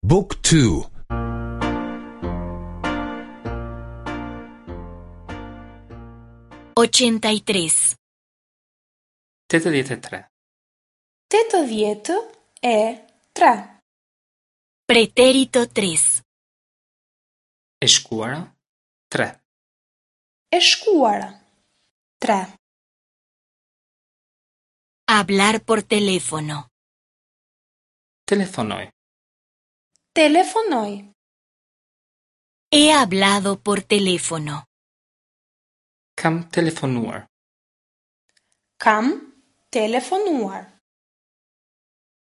Book 2 83. 83. 83. Pretérito 3. E shkuara 3. E shkuara 3. Hablar por teléfono. Telefonoj. Telefonoj. He hablado por teléfono. Kam telefonuar. Kam telefonuar.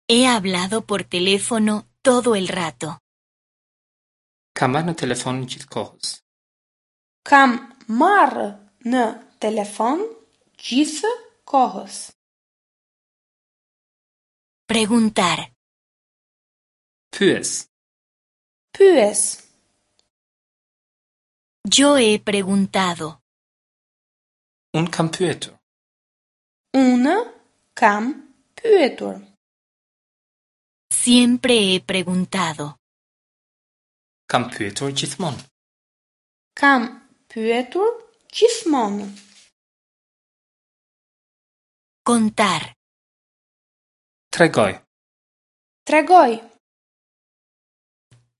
He hablado por teléfono todo el rato. Kam marrë në telefon gjithë kohës. Kam marrë në telefon gjithë kohës. Preguntar. Pyes. Pyes. Yo he preguntado. Unë kam pyetur. Unë kam pyetur. Siempre he preguntado. Kam pyetur gjithmonë. Kam pyetur gjithmonë. Contar. Tregoj. Tregoj.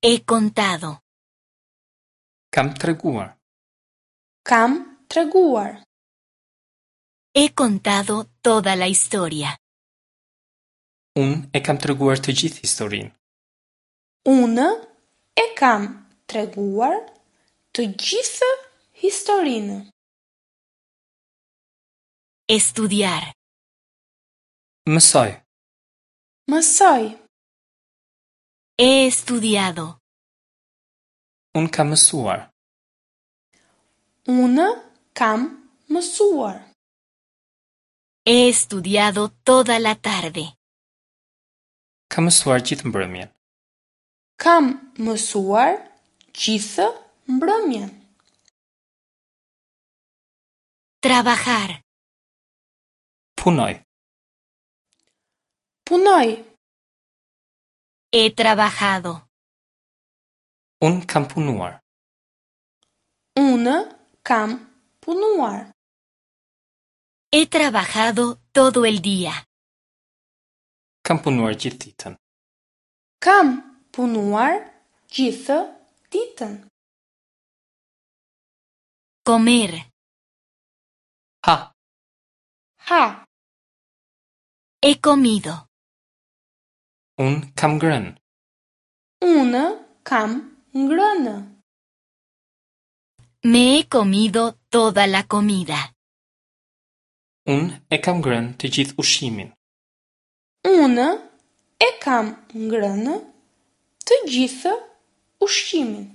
He contado. Kam treguar. Kam treguar. He contado toda la historia. Unë e kam treguar të gjithë historinë. Unë e kam treguar të gjithë historinë. Estudiar. Mësoj. Mësoj. He estudiado. Unë kam mësuar. Unë kam mësuar. He estudiado toda la tarde. Kam mësuar gjithë mbrëmjen. Kam mësuar gjithë mbrëmjen. Trabajar. Punoj. Punoj. He trabajado. Unë kam punuar. Unë kam punuar. He trabajado todo el día. Kam punuar gjithë ditën. Kam punuar gjithë ditën. Comer. Ha. Ha. He comido. Unë kam ngrënë. Unë kam ngrënë. Me he comido toda la comida. Unë e kam ngrënë të gjithë ushqimin. Unë e kam ngrënë të gjithë ushqimin.